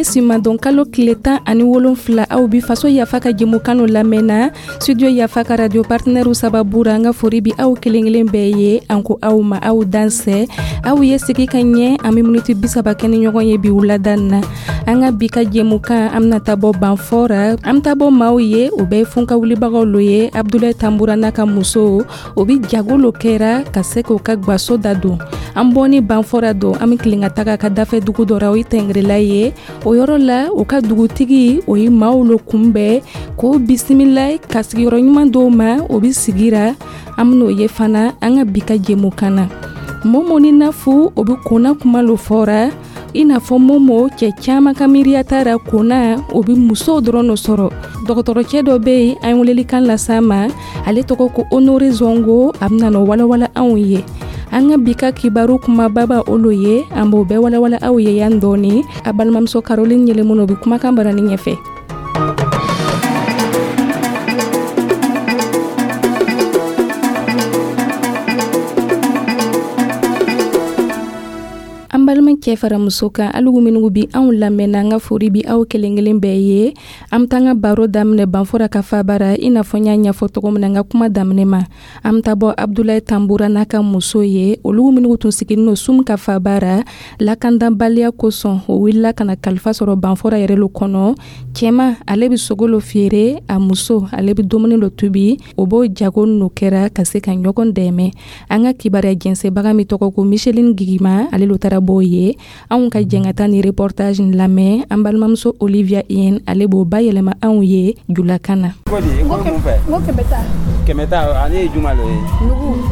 Simadon kalo tile 17, aw bi Faso Yafa ka jɛmukan lamɛnna studio Yafa ka radio partenaire sababu ra. An ka fori bi aw kelen kelen bɛɛ ye. An ko aw ma aw dansɛ, aw ye sigi ka ɲɛ. An bɛ miniti 30 kɛ ni ɲɔgɔn ye bi wulada na. An ka bi ka jɛmukan, an bɛna taa bɔ Banfora, an bɛ taa bɔ maaw ye, o bɛɛ ye funka wulibagaw lo ye. Abdulayi Tanbura n'a ka muso, o bi jago lo kɛra ka se k'o ka gwaso da don. An bɔni Banfora don, an bɛ tilen ka taga ka dafɛ dugu dɔ ra, o ye Tɛngɛrɛla ye. O yɔrɔ la, o ka dugutigi, o ye maaw lo kunbɛn k'o bisimila ka sigiyɔrɔ ɲuman dɔw ma, o bɛ sigira. An ben'o ye fana an ka bi ka jɛmukan na. Momo ni Nafu, o bɛ konna kuma lo fɔra, i n'a fɔ Momo, cɛ caman ka miiriya taara konna, o bɛ musow dɔrɔn lo sɔrɔ. Dɔgɔtɔrɔcɛ dɔ bɛ yen, an ye welelikan las'a ma, ale tɔgɔ ko Honore Zongo, a bɛna n'o walawala anw ye. An ka bi ka kibaru kumababa olu ye, an b'o bɛɛ walawala aw ye yan dɔɔni. A balimamuso Caroline Yɛlɛmɔnɔ bɛ kumakan barani ɲɛfɛ. An balima cɛ fara muso kan, alugu minnu bi anw lamɛnna, an ka fori bi aw kelen kelen bɛɛ ye. An bɛ taa an ka baro daminɛ Banfora ka fabara, i n'a fɔ n y'a ɲɛfɔ cogo min na n ka kuma daminɛ ma. An bɛ taa bɔ Abdulayi Tanbura n'a ka muso ye, olu minnu tun sigilen don Sum ka fabara. Lakandanbaliya kosɔn, o wulila ka na kalifa sɔrɔ Banfora yɛrɛ lo kɔnɔ. Cɛma, ale bɛ sogo lo feere, a muso, ale bɛ dumuni lo tobi. O b'o jago n'o kɛra ka se ka ɲɔgɔn dɛmɛ. An ka kibaruya jɛnsɛbaga min tɔgɔ ko Micheline Gigima, ale lo taara b'o ye. Anw ka jɛn ka taa ni reportage in lamɛn. An balimamuso Olivia Yen, ale b'o bayɛlɛma anw ye julakan na.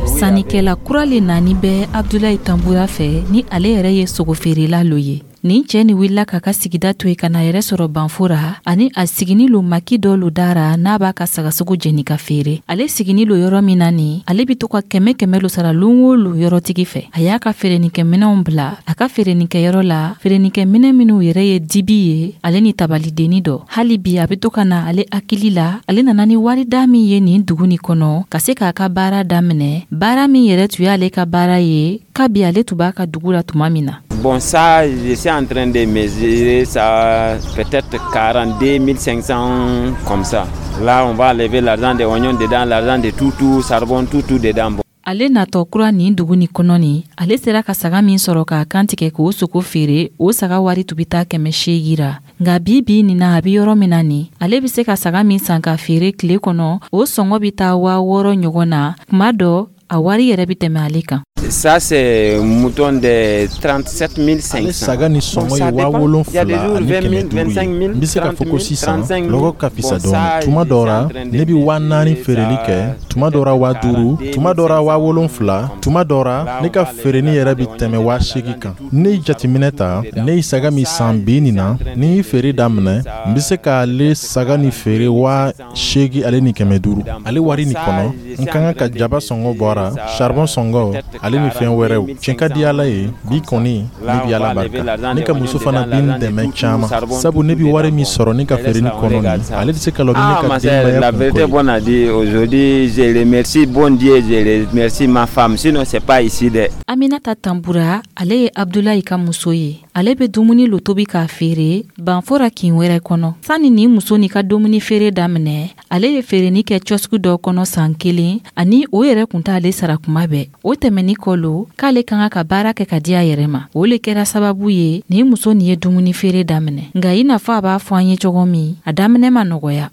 Sannikɛla kura le nani bɛ Abdulayi Tanbura fɛ, ni ale yɛrɛ ye sogofeerela lo ye. Nin cɛ ni wulila k'a ka sigida to yen ka na yɛrɛ sɔrɔ Banfora, ani a sigini lo maki dɔ lo dara n'a b'a ka sagasogo jeni ka feere. Ale sigini lo yɔrɔ min na nin, ale be to ka kɛmɛ kɛmɛ lo sara lon o lo yɔrɔtigi fɛ. A y'a ka feerenikɛminɛw bila a ka feerenikɛyɔrɔ la, feerenikɛminɛ minw yɛrɛ ye dibi ye, ale ni tabalidenni dɔ. Hali bi a be to ka na ale hakili la, ale nana ni warida min ye nin dugu nin kɔnɔ ka se k'a ka baara daminɛ, baara min yɛrɛ tun y'ale ka baara ye kabi ale tun b'a ka dugu la tuma min na. Bon, ça, je suis en train de mesurer ça, peut-être 42 500 comme ça. Là, on va enlever l'argent des oignons dedans, l'argent de tout, tout, charbon, tout, tout dedans. Bon. Ale natɔ kura nin dugu nin kɔnɔ nin, ale sera ka saga min sɔrɔ k'a kantigɛ k'o sogo feere, o saga wari tun bɛ taa 800 ra. Nka bi bi nin na, a bɛ yɔrɔ min na nin, ale bɛ se ka saga min san ka feere tile kɔnɔ, o sɔngɔ bɛ taa 6000 ɲɔgɔn na. Kuma dɔ, a wari yɛrɛ bɛ tɛmɛ ale kan. Ça, c'est mouton de 37 500. Ale saga ni sɔngɔ ye 7500 ye. N bɛ se k'a fɔ ko sisan lɔgɔ ka fisa dɔɔni. Tuma dɔ ra, ne bɛ 4000 feereli kɛ, tuma dɔ ra 5000, tuma dɔ ra 7000, tuma dɔ ra ne ka feereni yɛrɛ bɛ tɛmɛ 8000 kan. Ne ye jateminɛ ta, ne ye saga min san bi nin na, ni ye feere daminɛ, n bɛ se k'ale saga ni feere 8500. Ale wari nin kɔnɔ, n ka kan ka jaba sɔngɔ bɔra, charbon sɔngɔ, ale ni fɛn wɛrɛw. Tiɲɛ ka di Ala ye, bi kɔni ne bi Ala barika. Ne ka muso fana bi n dɛmɛ caman, sabu ne bi wari min sɔrɔ ne ka feereni kɔnɔ nin, ale tɛ se ka lɔ ni ne ka denbaya. La vérité bonne à dire, aujourd'hui, je remercie bon Dieu, je remercie ma femme, sinon c'est pas ici dɛ. Aminata Tanbura, ale ye Abdulayi ka muso ye. Ale bɛ dumuni lo tobi k'a feere Banfora kin wɛrɛ kɔnɔ. Sani nin muso nin ka dumuni feere daminɛ, ale ye feereni kɛ kiosque dɔ kɔnɔ san kelen, ani o yɛrɛ kun t'ale sara kuma bɛɛ. O tɛmɛni kɔ lo k'ale ka kan ka baara kɛ ka di a yɛrɛ ma, o le kɛra sababu ye nin muso nin ye dumuni feere daminɛ. Nka i n'a fɔ a b'a fɔ an ye cogo min, a daminɛ ma nɔgɔya.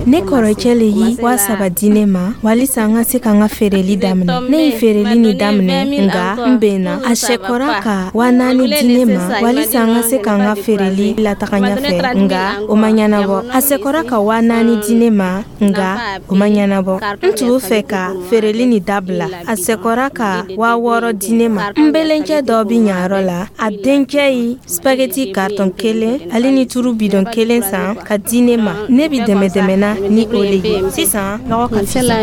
Ne kɔrɔcɛ le ye 3000 di ne ma walisa n ka se ka n ka feereli daminɛ. Ne ye feereli nin daminɛ, nka n benna. A sɛkɔra ka 4000 di ne ma walisa n ka se ka n ka feereli lataga ɲɛfɛ, nka o ma ɲɛnabɔ. A sɛkɔra ka 4000 di ne ma, nka o ma ɲɛnabɔ. N tun bɛ fɛ ka feereli nin dabila. A sɛkɔra ka 6000 di ne ma. N belencɛ dɔ bɛ ɲayɔrɔ la, a dencɛ ye spaghetti carton kelen ale ni turu bidɔn kelen san ka di ne ma. Ne bi dɛmɛ dɛmɛna ni o le ye. Sisan lɔgɔ ka fisa.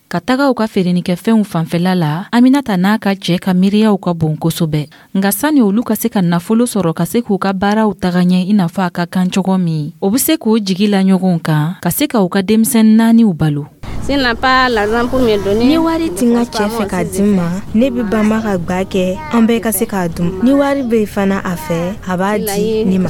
Ka taga u ka feerenikɛfɛnw fanfɛla la, Aminata n'a ka cɛ ka miiriyaw ka bon kosɛbɛ. Nka sani olu ka se ka nafolo sɔrɔ ka se k'u ka baaraw taga ɲɛ i n'a fɔ a ka kan cogo min, o bɛ se k'o jigi la ɲɔgɔn kan ka se ka u ka denmisɛn naaniw balo. Ni wari tɛ n ka cɛ fɛ k'a di n ma, ne bɛ banba ka gwa kɛ an bɛɛ ka se k'a dun. Ni wari bɛ fana a fɛ, a b'a di ne ma.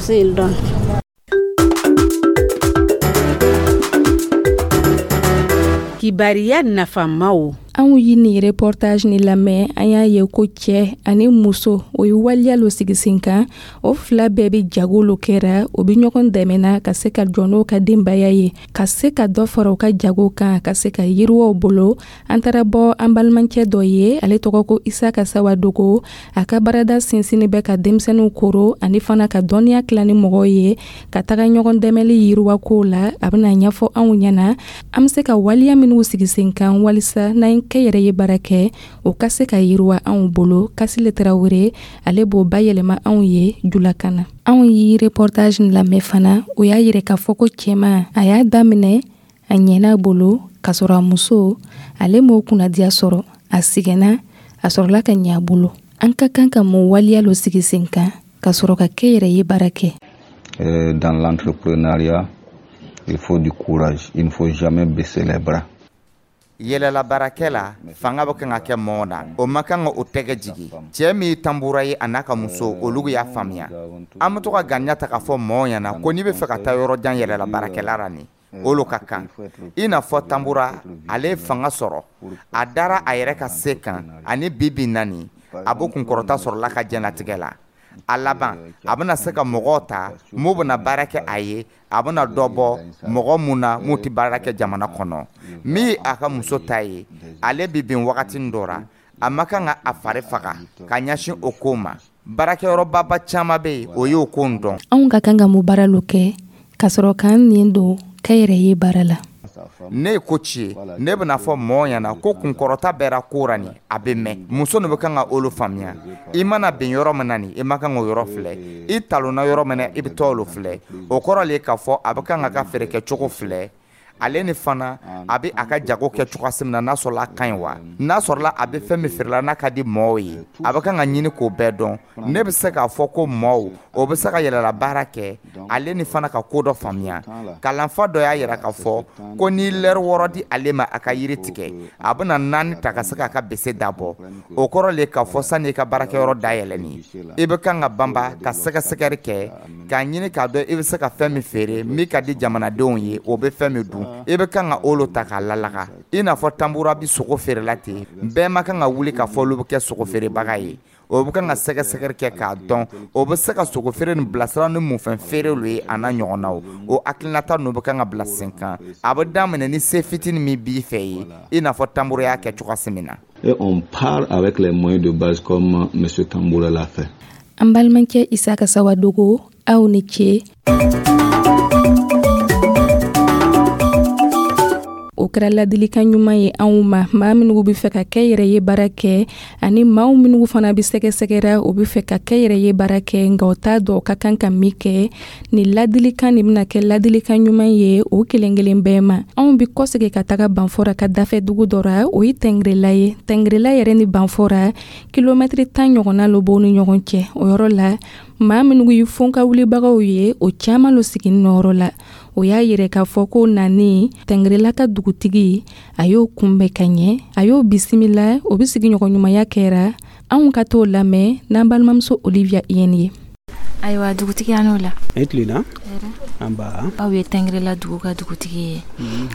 Kibariya nafamaw. Anw ye nin reportage ni lamɛn, an y'a ye ko cɛ ani muso, o ye waleya lo sigi sen kan. O fila bɛɛ bɛ jago lo kɛra, o bɛ ɲɔgɔn dɛmɛna ka se ka jɔ n'o ka denbaya ye, ka se ka dɔ fara u ka jago kan, ka se ka yiriwaw bolo. An taara bɔ an balimacɛ dɔ ye, ale tɔgɔ ko Isaka Sawadogo. A ka baarada sinsinni bɛ ka denmisɛnninw koro ani fana ka dɔnniya tila ni mɔgɔw ye, ka taga ɲɔgɔn dɛmɛli yiriwako la. A bɛna ɲɛfɔ anw ɲɛna an bɛ se ka waleya minnu sigi sen kan walisa n'an ye kɛ yɛrɛ ye baara kɛ, o ka se ka yiriwa anw bolo. Kasile Tarawele, ale b'o bayɛlɛma anw ye julakan na. Anw ye reportage lamɛn fana, o y'a yira k'a fɔ ko cɛman a y'a daminɛ, a ɲɛna bolo, k'a sɔrɔ a muso ale m'o kunnadiya sɔrɔ, a sɛgɛnna, a sɔrɔla ka ɲɛ a bolo. An ka kan ka mun waleya lo sigi sen kan ka sɔrɔ ka kɛ yɛrɛ ye baara kɛ? Dans l'entrepreneuriat, il faut du courage, il ne faut jamais baisser les bras. Yɛlɛla baarakɛ la, fanga bɛ kan ka kɛ mɔgɔ na, o ma kan ka o tɛgɛ jigin. Cɛɛ min ye Tanbura ye, a n'a ka muso, olu y'a faamuya. An bɛ to ka ganiya ta k'a fɔ mɔgɔw ɲɛna ko n'i bɛ fɛ ka taa yɔrɔ jan yɛlɛla baarakɛla la, nin olu ka kan. I n'a fɔ Tanbura, ale ye fanga sɔrɔ, a dara a yɛrɛ ka se kan, ani bi bi naani a b'o kunkɔrɔta sɔrɔla ka diɲɛlatigɛ la. A laban, a bɛna se ka mɔgɔw ta mun bɛna baara kɛ a ye. A bɛna dɔ bɔ mɔgɔ mun na mun tɛ baara kɛ jamana kɔnɔ. Min ye a ka muso ta ye, ale bɛ bin wagati dɔ ra, a ma kan ka a fari faga ka ɲɛsin o ko ma. Baarakɛyɔrɔbaba caman bɛ yen, o y'o ko dɔn. Anw ka kan ka mun baara lo kɛ ka sɔrɔ k'an nin don kɛ yɛrɛ ye baara la? Ne ye ko ci ye, ne bɛna fɔ mɔgɔw ɲɛna ko kunkɔrɔta bɛra ko ra nin, a bɛ mɛn. Muso nin bɛ kan ka olu faamuya. I mana bin yɔrɔ min na nin, i ma kan k'o yɔrɔ filɛ. I talonna yɔrɔ min na, i bɛ taa olu filɛ. O kɔrɔ le k'a fɔ a bɛ kan ka ka feere kɛcogo filɛ. Ale ni fana a bɛ a ka jago kɛ cogoya min na, n'a sɔrɔla a ka ɲi wa, n'a sɔrɔla a bɛ fɛn min feerela n'a ka di mɔgɔw ye, a bɛ kan ka ɲini k'o bɛɛ dɔn. Ne bɛ se k'a fɔ ko mɔgɔw o bɛ se ka yɛlɛla baara kɛ, ale ni fana ka ko dɔ faamuya. Kalanfa dɔ y'a yira k'a fɔ ko n'i lɛri 6 di ale ma a ka yiri tigɛ, a bɛna 4 ta ka se k'a ka bese dabɔ. O kɔrɔ le k'a fɔ sani i ka baarakɛyɔrɔ dayɛlɛnni, i bɛ kan ka banba ka sɛgɛsɛgɛli kɛ k'a ɲini k'a dɔn i bɛ se ka fɛn min feere min ka di jamanadenw ye, o bɛ fɛn min dun. I bɛ kan ka olu ta k'a lalaga. I n'a fɔ Tanbura bɛ sogo feerela ten, bɛɛ ma kan ka wuli k'a fɔ olu bɛ kɛ sogo feerebaga ye. O bɛ kan ka sɛgɛsɛgɛli kɛ k'a dɔn o bɛ se ka sogo feere nin bilasira ni munfɛn feere ye, a n'a ɲɔgɔnnaw. O hakilinata ninnu bɛ kan ka bila sen kan. A bɛ daminɛ ni se fitinin min b'i fɛ ye, i n'a fɔ Tanbura y'a kɛ cogoya min na. Et on part avec les moyens de base comme M. Tamboura l'a fait. An balimakɛ Isaka Sawadogo, aw ni ce. O kɛra ladilikan ɲuman ye anw ma, maa minnu bɛ fɛ ka kɛ yɛrɛ ye baara kɛ, ani maaw minnu fana bɛ sɛgɛsɛgɛra, o bɛ fɛ ka kɛ yɛrɛ ye baara kɛ, nka o t'a dɔn o ka kan ka min kɛ. Nin ladilikan nin bɛna kɛ ladilikan ɲuman ye o kelen kelen bɛɛ ma. Anw bɛ kɔsegin ka taga Banfora ka dafɛ dugu dɔ ra, o ye Tɛngɛrɛla ye. Tɛngɛrɛla yɛrɛ ni Banfora kilomɛtiri 10 ɲɔgɔnna lo b'o ni ɲɔgɔn cɛ. O yɔrɔ la, maa minnu ye fonka wulibagaw ye, o caman lo sigi nɔrɔ la. O y'a yira k'a fɔ ko nani Tɛngɛrɛla ka dugutigi, a y'o kunbɛn ka ɲɛ, a y'o bisimila, o bɛ sigiɲɔgɔn ɲumanya kɛra. Anw ka t'o lamɛn n'an balimamuso Olivia Iyɛni ye. Ayiwa, dugutigi, an n'o la. E tilenna. An ba. Aw ye Tɛngɛrɛla dugu ka dugutigi ye.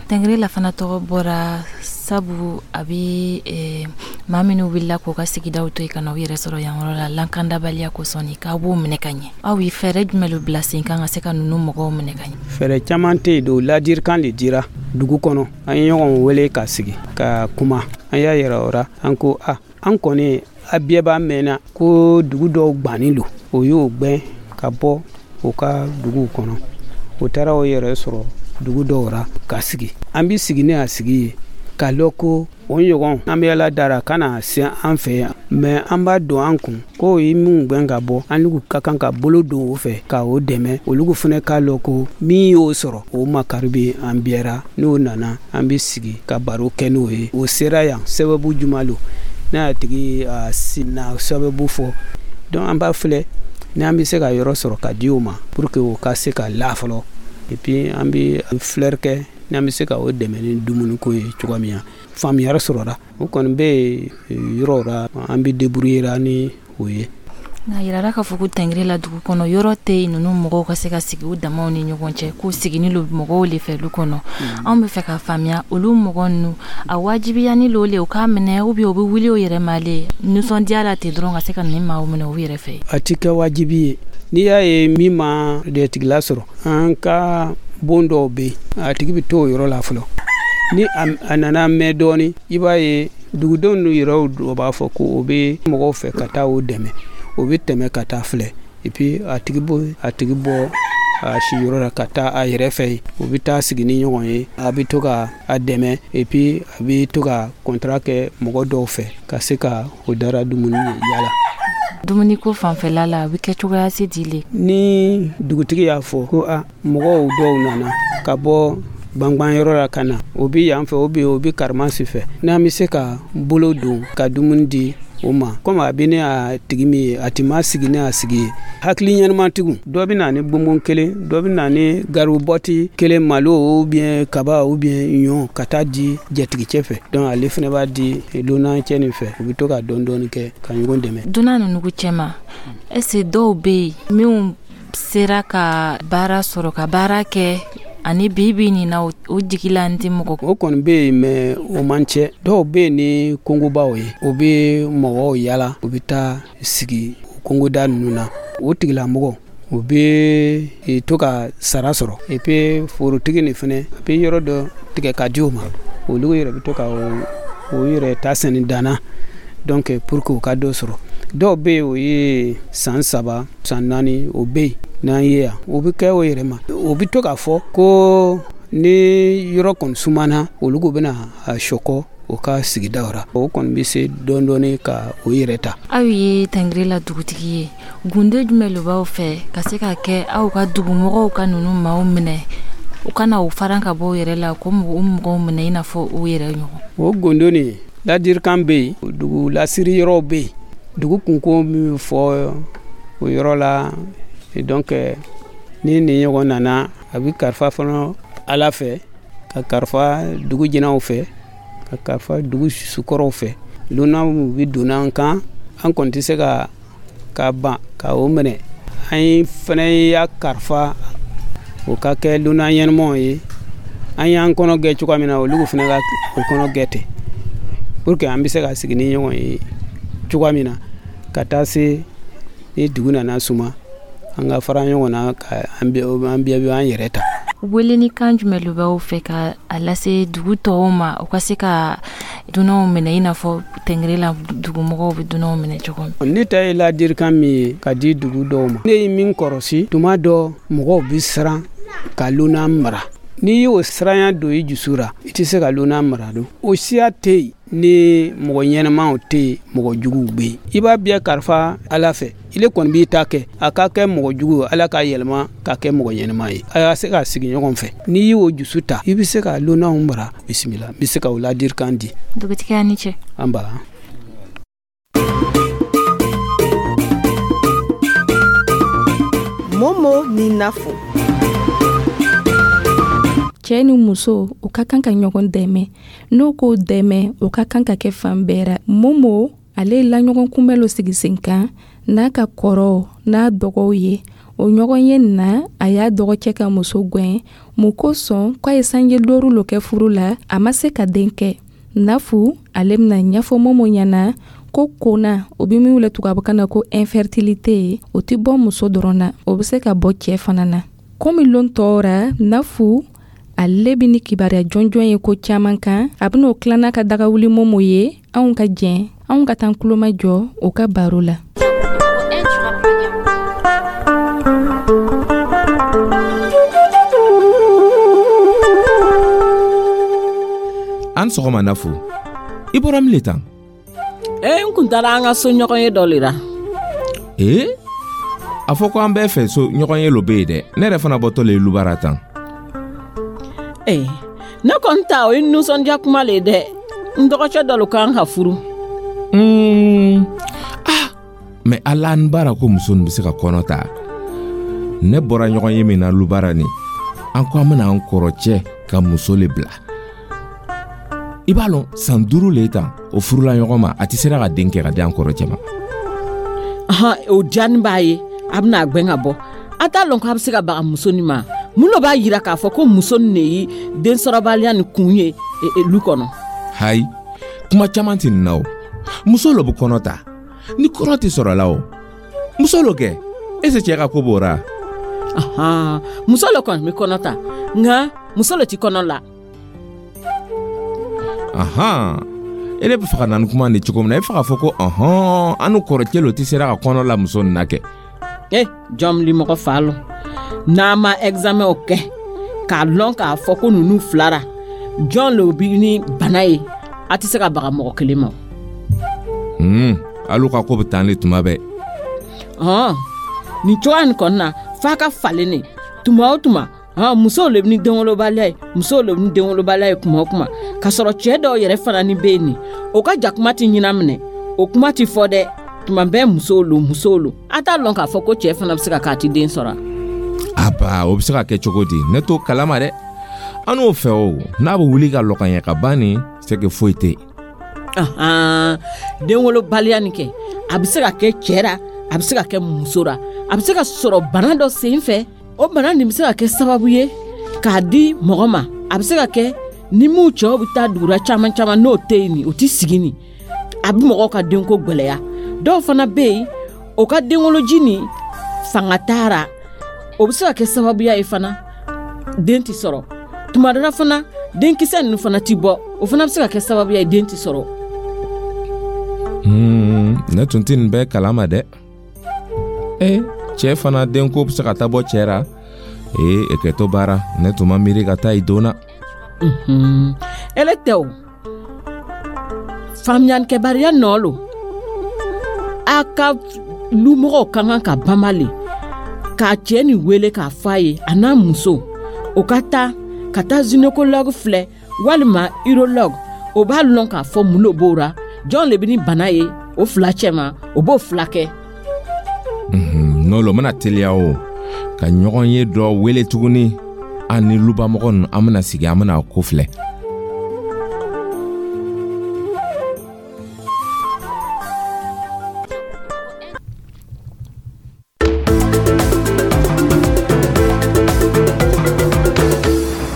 Tɛngɛrɛla fana tɔgɔ bɔra sabu a bɛ maa minnu wulila k'u ka sigidaw to yen ka na u yɛrɛ sɔrɔ yan yɔrɔ la lankandabaliya kosɔn, k'aw b'o minɛ ka ɲɛ. Aw ye fɛɛrɛ jumɛn bila sen kan ka se ka ninnu mɔgɔw minɛ ka ɲɛ? Fɛɛrɛ caman tɛ yen don, ladirikan de dira dugu kɔnɔ. An ye ɲɔgɔn wele ka sigi ka kuma, an y'a yira o la, an ko a an kɔni a bɛɛ b'a mɛnna ko dugu dɔw gbannen don, o y'o gbɛn ka bɔ u ka duguw kɔnɔ. O taara o yɛrɛ sɔrɔ dugu dɔw ra ka sigi. An bɛ sigi ni a sigi ye k'a lɔn ko o ɲɔgɔn an bɛ Ala dara ka na se an fɛ yan, mɛ an b'a don an kun k'o ye minnu gbɛn ka bɔ, an n'u ka kan ka bolo don o fɛ ka o dɛmɛ. Olu fana k'a lɔn ko min y'o sɔrɔ, o makari bɛ an bɛɛ. N'o nana, an bɛ sigi ka baro kɛ n'o ye. O sera yan sababu juma lo, n'a y'a tigi na sababu fɔ. Donc an b'a filɛ ni an bɛ se ka yɔrɔ sɔrɔ ka di o ma pour que o ka se ka la fɔlɔ. Et puis an bɛ filɛri kɛ. N'an bɛ se ka o dɛmɛ ni dumuniko ye cogoya min na, faamuyali sɔrɔra. O kɔni bɛ yen yɔrɔ la, an bɛ débrouiller ni o ye. Nka yirara k'a fɔ ko Tɛngɛrɛ la dugu kɔnɔ, yɔrɔ tɛ yen ninnu mɔgɔw ka se ka sigi u damaw ni ɲɔgɔn cɛ, k'u siginin lo mɔgɔw le fɛ du kɔnɔ. Anw bɛ fɛ k'a faamuya, olu mɔgɔ ninnu, a wajibiyani lo le u k'a minɛ, ou bien u bɛ wuli u yɛrɛ ma le nisɔndiya la ten dɔrɔn ka se ka nin maaw minɛ u yɛrɛ fɛ? A ti kɛ wajibi ye. N'i y'a ye min ma dɛtigila sɔrɔ, an ka bon dɔw bɛ yen, a tigi bɛ to o yɔrɔ la fɔlɔ. Ni a nana mɛn dɔɔnin, i b'a ye dugudenw n'u yɛrɛw dɔ b'a fɔ ko o bɛ mɔgɔw fɛ ka taa o dɛmɛ, o bɛ tɛmɛ ka taa filɛ. Et puis a tigi bɔ a siyɔrɔ la ka taa a yɛrɛ fɛ yen, o bɛ taa sigi ni ɲɔgɔn ye, a bɛ to ka a dɛmɛ, et puis a bɛ to ka contrat kɛ mɔgɔ dɔw fɛ ka se ka o dara dumuni yala. Dumuniko fanfɛla la, a bɛ kɛ cogoya se di le? Ni dugutigi y'a fɔ ko a mɔgɔw dɔw nana ka bɔ gbangbanyɔrɔ la ka na, o bɛ yan fɛ, o bɛ o bɛ Karimasi fɛ, n'an bɛ se ka bolo don ka dumuni di o ma, komi a bɛ ne a tigi min ye, a ti ma sigi ne a sigi ye. Hakili ɲɛnamatigiw, dɔ bɛ na ni bonbon kelen, dɔ bɛ na ni garibɔti kelen, malo ou bien kaba ou bien ɲɔ, ka taa di jatigicɛ fɛ. Donc ale fana b'a di lunancɛ nin fɛ, u bɛ to ka dɔɔni dɔɔni kɛ ka ɲɔgɔn dɛmɛ. Dunan ninnu cɛma, est-ce que dɔw bɛ yen minnu sera ka baara sɔrɔ, ka baara kɛ ani bi bi nin na, o jigi la n tɛ mɔgɔ? O kɔni bɛ yen, mais o man cɛ. Dɔw bɛ yen ni kongobaw ye, o bɛ mɔgɔw yala, u bɛ taa sigi kongoda ninnu na. O tigilamɔgɔ, o bɛ to ka sara sɔrɔ. Et puis forotigi nin fana, a bɛ yɔrɔ dɔ tigɛ ka di o ma, olu yɛrɛ bɛ to ka o yɛrɛ ta sɛnɛ danna, donc pour que u ka dɔ sɔrɔ. Dɔw bɛ yen, o ye san 3, san 4, o bɛ yen n'an ye yan, o bɛ kɛ o yɛrɛ ma. O bɛ to k'a fɔ ko ni yɔrɔ kɔni sumana, olu ko bɛna a sɔkɔ o ka sigida la, o kɔni bɛ se dɔɔni dɔɔni ka o yɛrɛ ta. Aw ye Tɛngɛrɛ la dugutigi ye, gunde jumɛn de b'aw fɛ ka se ka kɛ aw ka dugumɔgɔw ka ninnu maaw minɛ, u kana u faran ka bɔ u yɛrɛ la, ko u mɔgɔw minɛ i n'a fɔ u yɛrɛ ɲɔgɔn? O gundo nin, ladirikan bɛ yen, dugu lasiri yɔrɔw bɛ yen, dugu kunko min fɔ o yɔrɔ la. Donc ni nin ɲɔgɔn nana, a bɛ kalifa fana Ala fɛ, ka kalifa dugu jinɛw fɛ, ka kalifa dugu sukɔrɔw fɛ. Lunanw bɛ donna an kan, an kɔni tɛ se ka ban ka o minɛ. An fana y'a kalifa o ka kɛ lunan ɲɛnamaw ye. An y'an kɔnɔ gɛ cogoya min na, olu fana ka o kɔnɔ gɛ ten, pour que an bɛ se ka sigi ni ɲɔgɔn ye cogoya min na, ka taa se ni dugu nana suma, an ka fara ɲɔgɔn na ka an bɛɛ an yɛrɛ ta. Weleni kan jumɛn de b'aw fɛ ka a lase dugu tɔw ma, u ka se ka dunanw minɛ i n'a fɔ Tɛngɛrɛ la dugumɔgɔw bɛ dunanw minɛ cogo min? Ne ta ye ladirikan min ye ka di dugu dɔw ma, ne ye min kɔrɔsi, tuma dɔ mɔgɔw bɛ siran ka lunan mara. N'i y'o siranya don i dusu la, i tɛ se ka lunan mara don. O siya tɛ yen ni mɔgɔ ɲɛnamaw tɛ yen, mɔgɔ juguw bɛ yen. I b'a bɛɛ kalifa Ala fɛ, ile kɔni b'i ta kɛ, a ka kɛ mɔgɔ jugu, Ala k'a yɛlɛma ka kɛ mɔgɔ ɲɛnama ye, a ka se ka sigi ɲɔgɔn fɛ. N'i y'o dusu ta, i bɛ se ka lunanw mara. Bisimila, n bɛ se ka o ladirikan di. Dugutigi, a ni ce. An ba. Momo ni Nafo. Cɛ ni muso, u ka kan ka ɲɔgɔn dɛmɛ. N'o k'o dɛmɛ, o ka kan ka kɛ fan bɛɛ ra. Momo ale la ɲɔgɔn kunbɛn lo sigi sen kan n'a ka kɔrɔw n'a dɔgɔw ye. O ɲɔgɔn ye na, a y'a dɔgɔcɛ ka muso gwɛn mun kosɔn k'a ye sanji 5 lo kɛ furu la, a ma se ka den kɛ. Nafu ale bɛna ɲɛfɔ Momo ɲɛna ko kona, o bɛ min wele tubabukan na ko infertilité, o tɛ bɔ muso dɔrɔn na, o bɛ se ka bɔ cɛ fana na. Komi lon tɔw ra, Nafu ale bɛ ni kibaruya jɔnjɔn ye ko caman kan, a bɛn'o tila n'a ka dagawuli Momo ye. Anw ka jɛn, anw ka taa kulomajɔ o ka baro la. An sɔgɔma Nafu, i bɔra min le tan? N kun taara an ka so ɲɔgɔn ye dɔ le la. Ee, a fɔ ko an bɛɛ fɛ so ɲɔgɔn ye lo bɛ yen dɛ. Ne yɛrɛ fana bɔtɔ le ye lubara tan. Ee, ne kɔni ta o ye nisɔndiya kuma le ye dɛ. N dɔgɔcɛ dɔ lo kan ka furu. Ah, mɛ ala n baara ko muso nin bɛ se ka kɔnɔ ta. Ne bɔra ɲɔgɔn ye min na lubara nin, an ko an bɛna an kɔrɔcɛ Ka muso le bila. I b'a lɔn, san 5 le tan o furula ɲɔgɔn ma, a tɛ sera ka den kɛ ka di an kɔrɔcɛ ma. Ahan, o diyanin b'a ye, a bɛna a gwɛn ka bɔ. A t'a lɔn k'a bɛ se ka baga muso nin ma. Mun lo b'a yira k'a fɔ ko muso nin de ye densɔrɔbaliya nin kun ye lu kɔnɔ? Hayi, kuma caman tɛ nin na o. Muso lo bɛ kɔnɔ ta. Ni kɔnɔ tɛ sɔrɔla o, muso lo kɛ. Ese cɛ ka ko b'o ra? Ahan, muso lo kɔni bɛ kɔnɔ ta, nka muso lo ti kɔnɔ la. Ahan, e ne bɛ fɛ ka na ni kuma nin cogo min na, e bɛ fɛ k'a fɔ ko ɔhɔn, an n'u kɔrɔcɛ lo tɛ sera ka kɔnɔ la muso nin na kɛ. E jɔn limɔgɔ fa lɔ, n'a ma examen o kɛ k'a lɔn k'a fɔ ko ninnu fila ra jɔn lo bi ni bana ye, a tɛ se ka baga mɔgɔ kelen ma. Alu ka ko bɛ tan le tuma bɛɛ. Hɔn, nin cogoya nin kɔni na, f'a ka falen ne tuma o tuma. Hɔn, musow le bɛ ni denwolobaliya ye, musow le bɛ ni denwolobaliya ye kuma o kuma, k'a sɔrɔ cɛɛ dɔw yɛrɛ fana ni bɛ yen nin, o ka jakuma tɛ ɲinan minɛ, o kuma tɛ fɔ dɛ. Tuma bɛɛ musow lo, musow lo. A t'a lɔn k'a fɔ ko cɛɛ fana bɛ se ka k'a ti den sɔrɔ. Aba, o bɛ se ka kɛ cogo di? Ne t'o kalama dɛ. An n'o fɛ o, n'a bɛ wuli ka lɔ ka ɲɛ ka ban nin, c'est que foyi tɛ yen. Ahan, denwolobaliya nin kɛ, a bɛ se ka kɛ cɛ ra, a bɛ se ka kɛ muso ra, a bɛ se ka sɔrɔ bana dɔ sen fɛ. O bana nin bɛ se ka kɛ sababu ye k'a di mɔgɔ ma. A bɛ se ka kɛ ni m'u cɛw bɛ taa dugura caman caman, n'o tɛ yen nin, o tɛ sigi nin, a bɛ mɔgɔw ka denko gwɛlɛya. Dɔw fana bɛ yen, o ka denwoloji nin fanga taara, o bɛ se ka kɛ sababuya ye fana den tɛ sɔrɔ. Tuma dɔ la fana, denkisɛ ninnu fana tɛ bɔ, o fana bɛ se ka kɛ sababuya ye den tɛ sɔrɔ. Ne tun tɛ nin bɛɛ kalama dɛ. Cɛ fana denko bɛ se ka taa bɔ cɛ ra. E kɛtɔ baara, ne tun ma miiri ka taa i don na. Ele tɛ o. Faamuyalikɛbaliya nɔ lo. A ka lumɔgɔw ka kan ka banba le k'a cɛ nin wele k'a fɔ a ye, a n'a muso, o ka taa ka taa gynécologue filɛ walima urologue. O b'a lɔn k'a fɔ mun lo b'o ra, jɔn le bɛ ni bana ye o fila cɛ ma, o b'o fila kɛ. N'o lo bɛna teliya o ka ɲɔgɔn ye dɔ wele tuguni, an ni lubamɔgɔ ninnu, an bɛna sigi, an bɛna ko filɛ.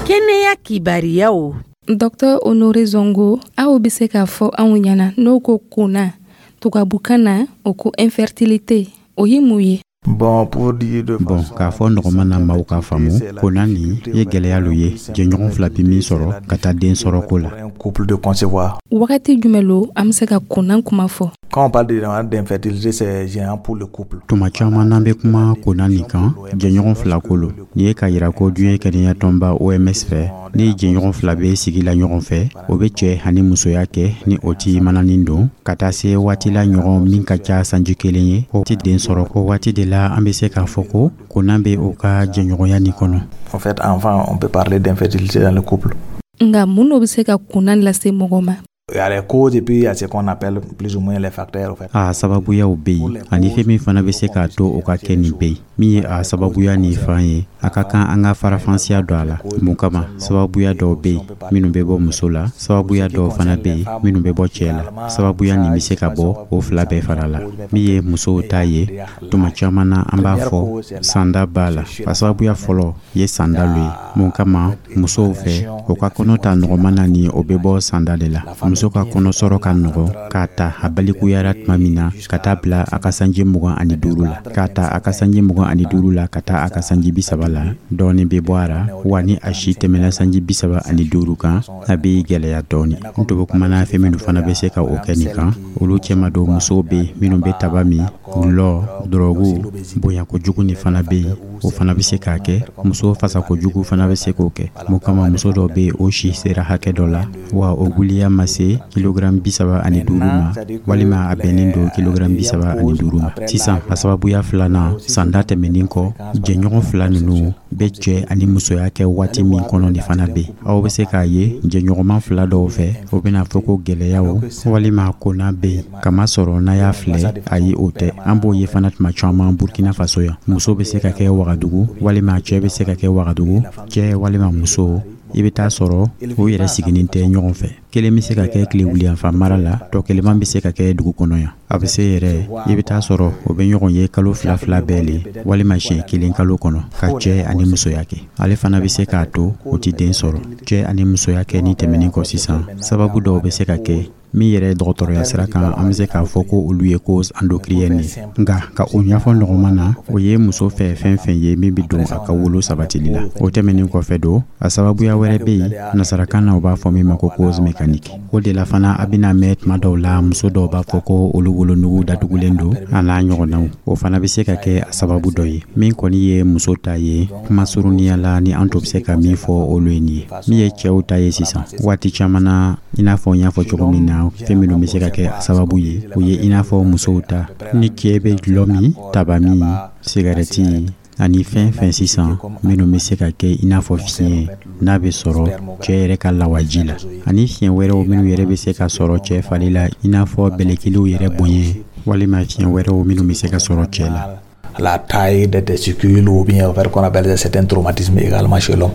Kɛnɛya kibariyaw. Docteur Honore Zongo, aw bɛ se k'a fɔ anw ɲɛna n'o ko kona tubabukan na, o ko infertilité, o ye mun ye? Bon, pour dire de Bon, k'a fɔ nɔgɔman na maaw k'a faamu, kona nin ye gwɛlɛya lo ye jɛɲɔgɔn fila bi min sɔrɔ ka taa den sɔrɔ ko la. Un couple de concevoir. Wagati jumɛn lo an bɛ se ka kona kuma fɔ? Quand on parle d'infertilité, c'est gênant pour le couple. Tuma caman n'an bɛ kuma kona nin kan, jɛɲɔgɔn fila ko lo. Nin ye k'a yira ko diɲɛ kɛnɛya tɔnba OMS fɛ, ni jɛɲɔgɔn fila bɛ sigi la ɲɔgɔn fɛ, o bɛ cɛ ani musoya kɛ ni o ti mananin don, ka taa se waati la ɲɔgɔn min ka ca sanji kelen ye, o ti den sɔrɔ. O waati de la an bɛ se k'a fɔ ko kona bɛ o ka jɛɲɔgɔnya nin kɔnɔ. En fait, enfin, on peut parler d'infertilité dans le couple. Nka mun de bɛ se ka kona lase mɔgɔ ma? Il y a les causes et puis il y a ce qu'on appelle plus ou moins les facteurs, en fait. A sababuyaw bɛ yen, ani fɛn min fana bɛ se k'a to o ka kɛ nin bɛ yen. Min ye a sababuya nin fan ye, a ka kan an ka farafansiya don a la. Mun kama, sababuya dɔw bɛ yen minnu bɛ bɔ muso la, sababuya dɔw fana bɛ yen minnu bɛ bɔ cɛ la. Sababuya nin bɛ se ka bɔ o fila bɛɛ fara la. Min ye musow ta ye, tuma caman na an b'a fɔ sanda b'a la. A sababuya fɔlɔ ye sanda lo ye. Mun kama, musow fɛ, o ka kɔnɔ ta nɔgɔman na ni o bɛ bɔ sanda de la. Muso ka kɔnɔ sɔrɔ ka nɔgɔ k'a ta a balikuyara tuma min na ka taa bila a ka sanji 25 la, k'a ta a ka sanji 25 la ka taa a ka sanji 30 la, dɔɔni bɛ bɔ a ra. Wa ni a si tɛmɛna sanji 35 kan, a bɛ gɛlɛya dɔɔni. N tun bɛ kuma n'a fɛn minnu fana bɛ se ka o kɛ nin kan, olu cɛma don musow bɛ yen minnu bɛ taba min, gulɔ, dɔrɔgu, bonya kojugu nin fana bɛ yen, o fana bɛ se k'a kɛ. Muso fasa kojugu fana bɛ se k'o kɛ. Mun kama, muso dɔw bɛ yen, o si sera hakɛ dɔ la, wa o guliya ma se kilogramme 35 ma, walima a bɛnnen don kilogramme 35 ma. Sisan, a sababuya filanan, sanda tɛmɛnen kɔ, jɛɲɔgɔn fila ninnu bɛ cɛ ani musoya kɛ waati min kɔnɔ nin fana bɛ yen. Aw bɛ se k'a ye jɛɲɔgɔnma fila dɔw fɛ, o bɛna fɔ ko gɛlɛyaw walima kona bɛ yen, kamasɔrɔ n'a y'a filɛ, ayi, o tɛ. An b'o ye fana tuma caman Burkina Faso yan. Muso bɛ se ka kɛ Wagadugu, walima cɛ bɛ se ka kɛ Wagadugu, cɛ walima muso. I bɛ taa sɔrɔ u yɛrɛ siginin tɛ ɲɔgɔn fɛ. Kelen bɛ se ka kɛ tile wuliyanfan mara la, tɔ kelenman bɛ se ka kɛ dugu kɔnɔ yan. A bɛ se yɛrɛ, i bɛ taa sɔrɔ u bɛ ɲɔgɔn ye kalo fila fila bɛɛ le, walima siɲɛ kelen kalo kɔnɔ, ka cɛ ani musoya kɛ. Ale fana bɛ se k'a to u tɛ den sɔrɔ. Cɛ ani musoya kɛ ni tɛmɛnin kɔ sisan, sababu dɔw bɛ se ka kɛ min yɛrɛ dɔgɔtɔrɔya sira kan, an bɛ se k'a fɔ ko olu ye cause endocrinienne ye. Nka ka o ɲɛfɔ nɔgɔman na, o ye muso fɛ fɛn fɛn ye min bɛ don a ka wolo sabatili la. O tɛmɛnin kɔfɛ don, a sababuya wɛrɛ bɛ yen, nasarakan na u b'a fɔ min ma ko cause mécanique. O de la fana, a bɛna mɛn tuma dɔw la, muso dɔw b'a fɔ ko olu wolonugu datugulen don, a n'a ɲɔgɔnnaw. O fana bɛ se ka kɛ a sababu dɔ ye. Min kɔni ye muso ta ye, kuma surunya la, ni an to bɛ se ka min fɔ olu ye nin ye. Min ye cɛw ta ye sisan, waati caman na, i n'a fɔ n y'a fɔ cogo min na, fɛn minnu bɛ se ka kɛ a sababu ye, o ye i n'a fɔ musow ta, ni cɛ bɛ dulɔ min, taba min, sigarɛti ani fɛn fɛn sisan minnu bɛ se ka kɛ i n'a fɔ fiɲɛ n'a bɛ sɔrɔ cɛ yɛrɛ ka lawaji la, ani fiɲɛ wɛrɛw minnu yɛrɛ bɛ se ka sɔrɔ cɛ fari la, i n'a fɔ bɛlɛkiliw yɛrɛ bonya, walima fiɲɛ wɛrɛw minnu bɛ se ka sɔrɔ cɛ la. La taille des testicules ou bien faire qu'on appelle certains traumatismes également chez l'homme.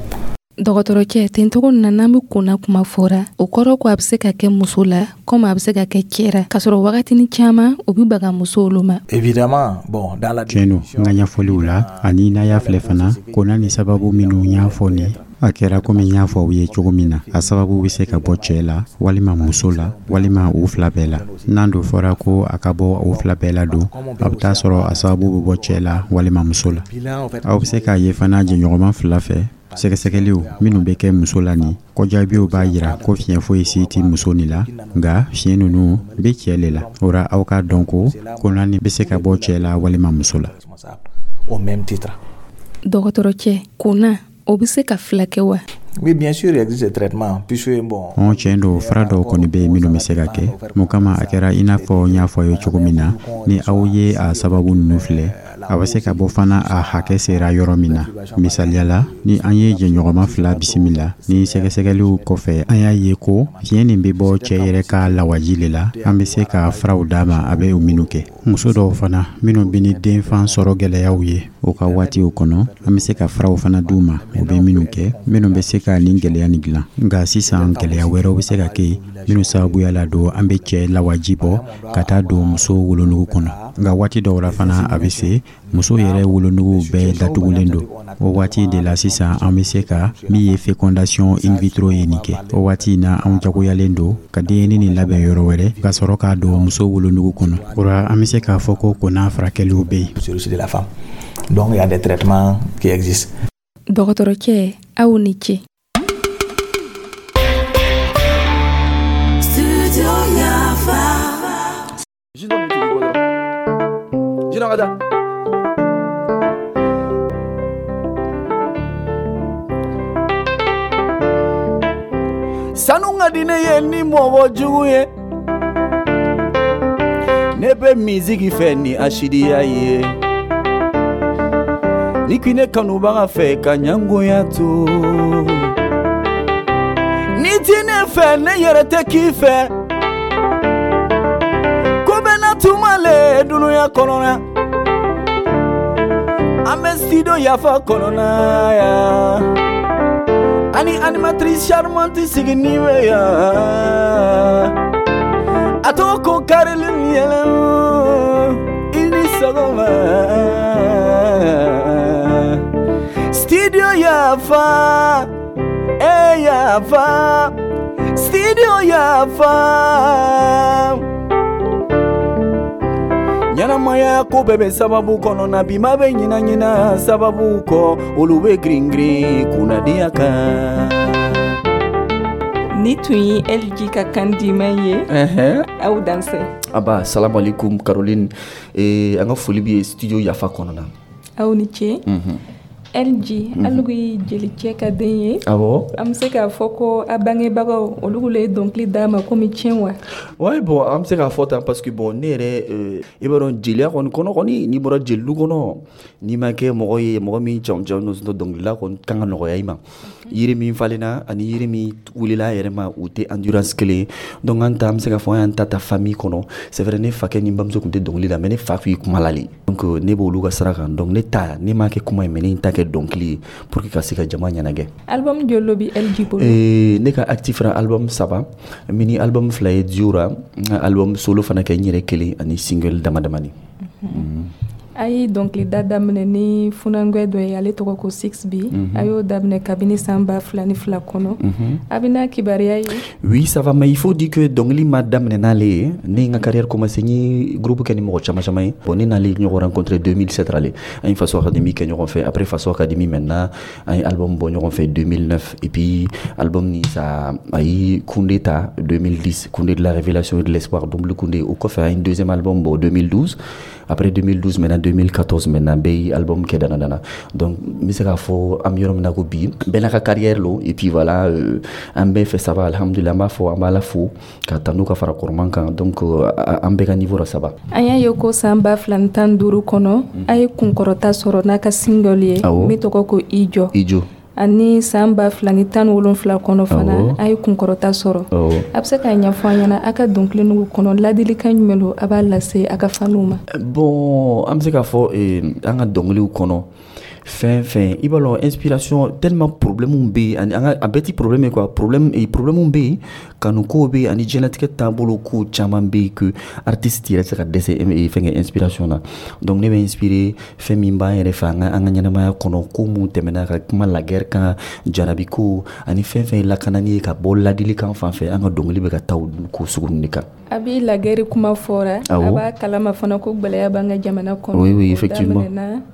Dɔgɔtɔrɔcɛ, tencogo na n'an bɛ konna kuma fɔra, o kɔrɔ ko a bɛ se ka kɛ muso la komi a bɛ se ka kɛ cɛ ra, k'a sɔrɔ wagatini caman o bɛ baga musow olu ma. Évidemment, bon, dans la Tiɲɛ don, n ka ɲɛfɔliw la, ani n'a y'a filɛ fana, konna ni sababu minnu y'a fɔ nin, a kɛra komi n y'a fɔ aw ye cogo min na, a sababu bɛ se ka bɔ cɛɛ la, walima muso la, walima u fila bɛɛ la. N'an don fɔra ko a ka bɔ u fila bɛɛ la don, a bɛ taa sɔrɔ a sababu bɛ bɔ cɛɛ la walima muso la. Aw bɛ se k'a ye fana, jɛɲɔgɔnma fila fɛ, sɛgɛsɛgɛliw minnu bɛ kɛ muso la nin kɔjaabiw b'a yira ko fiɲɛ foyi si tɛ muso nin la, nka fiɲɛ ninnu bɛ cɛ le la. O ra, aw k'a dɔn ko konna nin bɛ se ka bɔ cɛ la walima muso la. Au même titre. Dɔgɔtɔrɔcɛ, konna o bɛ se ka fila kɛ wa? Oui, bien sûr, il existe des traitements, puisque bon. Ɔn, tiɲɛ don, fura dɔw kɔni bɛ yen minnu bɛ se ka kɛ. Mun kama, a kɛra i n'a fɔ n y'a fɔ a ye cogo min na, ni aw ye a sababu ninnu filɛ, a bɛ se ka bɔ fana a hakɛ sera yɔrɔ min na. Misaliya la, ni an ye jɛɲɔgɔnma fila bisimila, ni sɛgɛsɛgɛliw kɔfɛ an y'a ye ko fiɲɛ nin bɛ bɔ cɛ yɛrɛ ka lawaji le la, an bɛ se ka furaw d'a ma a bɛ o minnu kɛ. Muso dɔw fana minnu bɛ ni denfan sɔrɔ gɛlɛyaw ye o ka waatiw kɔnɔ, an bɛ se ka furaw fana d'u ma u bɛ minnu kɛ, minnu bɛ se ka nin gɛlɛya nin dilan. Nka sisan, gɛlɛya wɛrɛw bɛ se ka kɛ minnu sababuya la don, an bɛ cɛ lawaji bɔ ka taa don muso wolonugu kɔnɔ. Nka waati dɔw la fana, a bɛ se muso yɛrɛ wolonugu bɛɛ datugulen don. O waati de la sisan, an bɛ se ka min ye fécondation in vitro ye nin kɛ. O waati in na, anw jagoyalen don ka denyɛrɛnin nin labɛn yɔrɔ wɛrɛ, ka sɔrɔ k'a don muso wolonugu kɔnɔ. O la, an bɛ se k'a fɔ ko konna furakɛliw bɛ yen. De la femme. Donc il y a des traitements qui existent. Dɔgɔtɔrɔcɛ, aw ni ce. Sanu ka di ne ye ni mɔgɔ jugu ye, ne bɛ miziki fɛ ni asidiya ye, ni k'i ne kanubaga fɛ ka ɲangoya to, ni ti ne fɛ, ne yɛrɛ tɛ k'i fɛ, ko bɛ na tuma le dunuya kɔnɔna, an bɛ studio Yafa kɔnɔna yan, ani animatrice charmante sigini bɛ yan, a tɔgɔ ko Caroline Yɛlɛ, i ni sɔgɔma. Studio Yafa, eh Yafa, Studio Yafa. Ɲɛnamaya ko bɛɛ bɛ sababu kɔnɔ na, bi ma bɛ ɲina ɲina sababu kɔ, olu bɛ girin girin kunnadiya kan. Ni tun ye LG ka kan diman ye. Aw dansɛ. Aba, salamu alaikum Caroline. An ka foli bɛ studio Yafa kɔnɔ na. Aw ni ce. LG, alu ye jelicɛ ka den ye. Awɔ. An bɛ se k'a fɔ ko a bangebagaw olu le ye dɔnkili d'a ma komi tiɲɛ wa? Ouais, bon, an bɛ se k'a fɔ tan parce que bon, ne yɛrɛ, i b'a dɔn jeliya kɔni kɔnɔ kɔni, n'i bɔra jelidu kɔnɔ, n'i ma kɛ mɔgɔ ye mɔgɔ min jamu jamu dɔnkilida kɔni kan ka nɔgɔya i ma. Yiri min falenna ani yiri min wulila a yɛrɛ ma, u tɛ endurance kelen ye. Donc an ta, an bɛ se k'a fɔ an y'an ta ta famille kɔnɔ. C'est vrai, ne fakɛ ni n bamuso tun tɛ dɔnkili da, mais ne fa tun ye kuma la le. Donc ne b'olu ka sira kan. Donc ne ta, ne m'a kɛ kuma ye, mais ne ye n ta kɛ kɛ dɔnkili ye pour que ka se ka jama ɲɛnagɛ. Album joli lo bi LG bolo? Ne ka actif ra, album saba, mini album fila ye duo ra, n ka album solo fana kɛ n yɛrɛ kelen, ani single dama damani. A ye dɔnkilida daminɛ ni funangɛ dɔ ye, ale tɔgɔ ko 6B. A y'o daminɛ kabini san 2002 kɔnɔ. A bɛna kibaruya ye. Oui, ça va, mais il faut dire que dɔnkili ma daminɛ n'ale ye. Ne ye n ka carrière commencé, n ye groupe kɛ ni mɔgɔ caman caman ye. Bon, ne n'ale ɲɔgɔn rencontré 2007 ale, an ye Faso Académie kɛ ɲɔgɔn fɛ. Après Faso Académie maintenant, an ye album bɔ ɲɔgɔn fɛ 2009, et puis album ni ça a ye Koundé ta 2010, Koundé de la révélation et de l'espoir, double Koundé. O kɔfɛ, an ye deuxième album bɔ 2012. Après 2012 maintenant, 2014 maintenant, bɛɛ ye album kɛ dana dana. Donc n bɛ se k'a fɔ an bɛ yɔrɔ min na ko bi, bɛɛ n'a ka carrière lo. Et puis voilà, an bɛɛ fɛ, ça va, alhamdulillah. An b'a fɔ an b'a la fo ka tanu ka fara kɔrɔman kan. Donc an bɛɛ ka niveau la, ça va. An y'a ye ko san 2015 kɔnɔ, a ye kunkɔrɔta sɔrɔ n'a ka single ye min tɔgɔ ko I jɔ. I jɔ. Ani san 2017 kɔnɔ fana, a ye kunkɔrɔta sɔrɔ. A bɛ se k'a ɲɛfɔ an ɲɛna, a ka dɔnkili nugu kɔnɔ, ladilikan jumɛn don a b'a lase a ka faniw ma? Bon, an bɛ se k'a fɔ an ka dɔnkiliw kɔnɔ, fɛn fɛn i b'a lɔn, inspiration tellement, problème bɛ yen, ani an ka a bɛɛ ti problème ye quoi. Problème bɛ yen, kanuko bɛ yen, ani diɲɛlatigɛ taabolo ko caman bɛ yen que artiste yɛrɛ tɛ se ka dɛsɛ fɛn kɛ inspiration na. Donc ne bɛ inspiré fɛn min b'an yɛrɛ fɛ, an ka ɲɛnamaya kɔnɔ, ko mun tɛmɛna, ka kuma la guerre kan, jarabi ko, ani fɛn fɛn ye lakanani ye, ka bɔ ladilikan fan fɛ. An ka dɔnkili bɛ ka taa olu ko sugu ninnu de kan. A b'i la guerre kuma fɔra, a b'a kalama fana ko gwɛlɛya b'an ka jamana kɔnɔ. Oui, effectivement.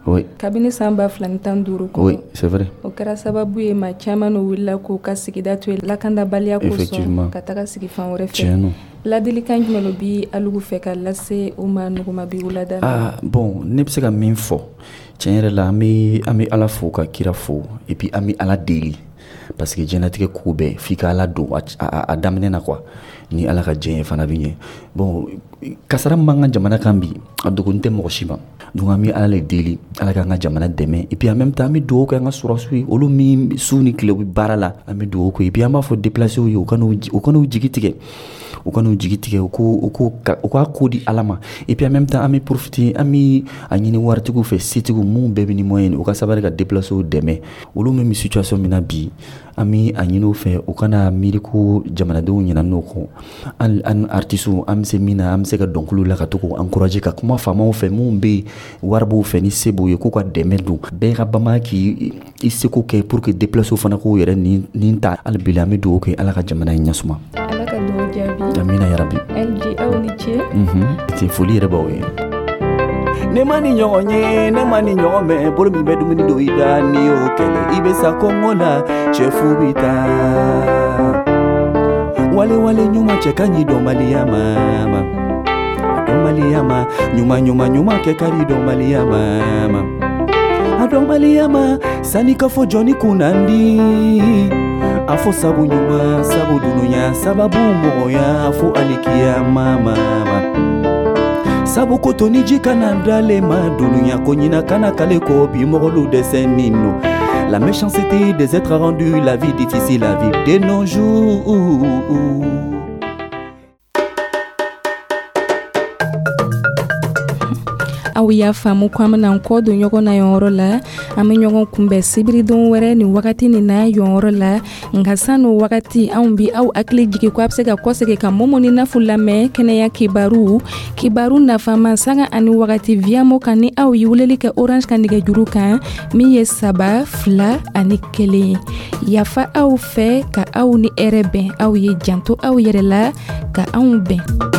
Oui. Kabini san 2015 kɔnɔ. Oui, c'est vrai. O kɛra sababu ye, maa caman n'o wulila k'u ka sigida to yen lakandabaliya kosɔn, ka taga sigi fan wɛrɛ fɛ. Ladilikan jumɛn lo bi alugu fɛ ka lase u ma nuguma bi wulada? Ah bon, ne bɛ se ka min fɔ tiɲɛ yɛrɛ la, an bɛ Ala fo ka kira fo, et puis an bɛ Ala deli, parce que diɲɛlatigɛ ko bɛɛ f'i ka Ala don a daminɛ na quoi. Ni Ala ka diɲɛ ye fana bɛ ɲɛ. Bon, kasara min b'an ka jamana kan bi, a dogonin tɛ mɔgɔ si ma. Donc an bɛ Ala le deli, Ala k'an ka jamana dɛmɛ. Et puis en même temps, an bɛ dugawu kɛ an ka sɔrɔsiw ye, olu min su ni tile u bɛ baara la, an bɛ dugawu kɛ. Et puis an b'a fɔ déplacés ye, u kan'u jigi tigɛ, u kan'u jigi tigɛ, u k'a ko di Ala ma. Et puis en même temps, an bɛ profiter, an bɛ a ɲini waritigiw fɛ, setigiw mun bɛɛ bɛ ni moyen, u ka sabali ka déplacés dɛmɛ, olu min bɛ situation min na bi. An bɛ a ɲini u fɛ, u kana miiri ko jamanadenw ɲinɛ n'o kɔ. An artistes, an bɛ se min na, an bɛ se ka dɔnkiliw la ka to k'u encourager, ka kuma faamaw fɛ, mun bɛ yen, wari b'u fɛ, ni se b'u ye, k'u ka dɛmɛ don. Bɛɛ ka bama k'i i seko kɛ pour que déplacés fana k'u yɛrɛ nin ta. Hali bi an bɛ dugawu kɛ, Ala ka jamana in ɲɛsuma. Ala ka dugawu jaabi. Amina yarabi. LG, aw ni ce. Foli yɛrɛ b'aw ye. Ne ma ni ɲɔgɔn ye, ne ma ni ɲɔgɔn mɛn. Bolo min bɛ dumuni don i da, ni y'o kɛlɛ, i bɛ sa kɔngɔ la. Cɛfu bɛ taa wale wale ɲuman cɛ ka ɲi dɔnbaliya ma, ma a dɔnbaliya ma. Ɲuman ɲuman ɲuman kɛ ka di dɔnbaliya ma, ma a dɔnbaliya ma. Sanni ka fɔ jɔnni kunnandi, a fɔ sabu ɲuman, sabu dunuya, sababu mɔgɔya, fo alikiyama ma, ma sabu ko to ni ji kana dalen ma dunuya ko ɲina kana kale ko bi mɔgɔlu dɛsɛ nin no. La méchanceté des êtres a rendu la vie difficile à vivre de nos jours. Aw y'a faamu ko an bɛna kɔ don ɲɔgɔn na yɔrɔ la. An bɛ ɲɔgɔn kunbɛn sibiridon wɛrɛ nin wagati nin na yɔrɔ la. Nka san'o wagati, anw bi aw hakili jigi ko a bɛ se ka kɔsegin ka Momo ni Nafu lamɛn kɛnɛya kibaru, kibaru nafama, sanga ani wagati Viamo kan, ni aw ye weleli kɛ Orange ka nɛgɛjuru kan min ye 3 2 1. Yafa aw fɛ ka aw ni hɛrɛ bɛn. Aw ye janto aw yɛrɛ la ka anw bɛn.